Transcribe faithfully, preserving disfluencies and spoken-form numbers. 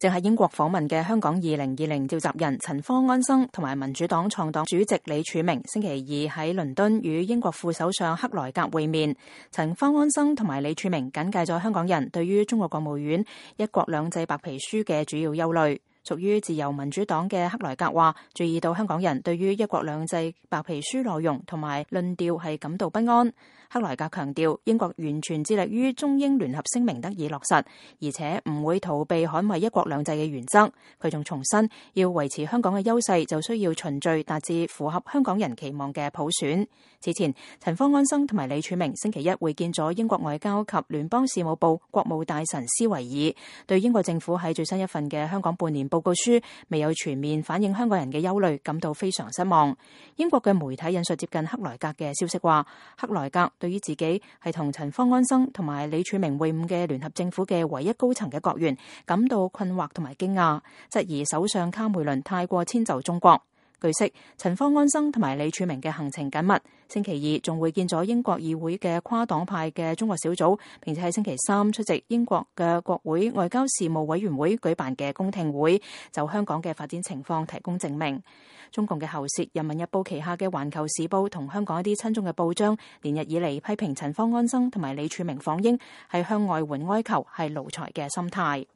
正喺英國訪問嘅香港二零二零召集人陳方安生同埋民主黨創黨主席李柱銘星期二喺倫敦與英國副首相克萊格會面。陳方安生同埋李柱銘簡介咗香港人對於中國國務院一國兩制白皮書嘅主要憂慮。屬於自由民主黨嘅克萊格話，注意到香港人對於一國兩制白皮書內容同埋論調係感到不安。克萊格強調，英國完全致力於中英聯合聲明得以落實，而且唔會逃避捍衛一國兩制嘅原則。佢仲重申，要維持香港嘅優勢，就需要循序達至符合香港人期望嘅普選。此前，陳方安生同埋李柱銘星期一會見咗英國外交及聯邦事務部國務大臣施維爾，對英國政府喺最新一份嘅香港半年報告書未有全面反映香港人嘅憂慮感到非常失望。英國嘅媒體引述接近克萊格嘅消息話，克萊格對於自己係同陳方安生同埋李柱銘會晤嘅聯合政府嘅唯一高層嘅國員感到困惑同埋驚訝，質疑首相卡梅倫太過遷就中國。據悉，陳方安生同埋李柱銘嘅行程緊密，星期二仲會見咗英國議會嘅跨黨派嘅中國小組，並且喺星期三出席英國嘅國會外交事務委員會舉辦嘅公聽會，就香港嘅發展情況提供證明。中共嘅喉舌《人民日報》旗下嘅《環球時報》同香港一啲親中嘅報章，連日以嚟批評陳方安生同埋李柱銘訪英係向外援哀求，係奴才嘅心態。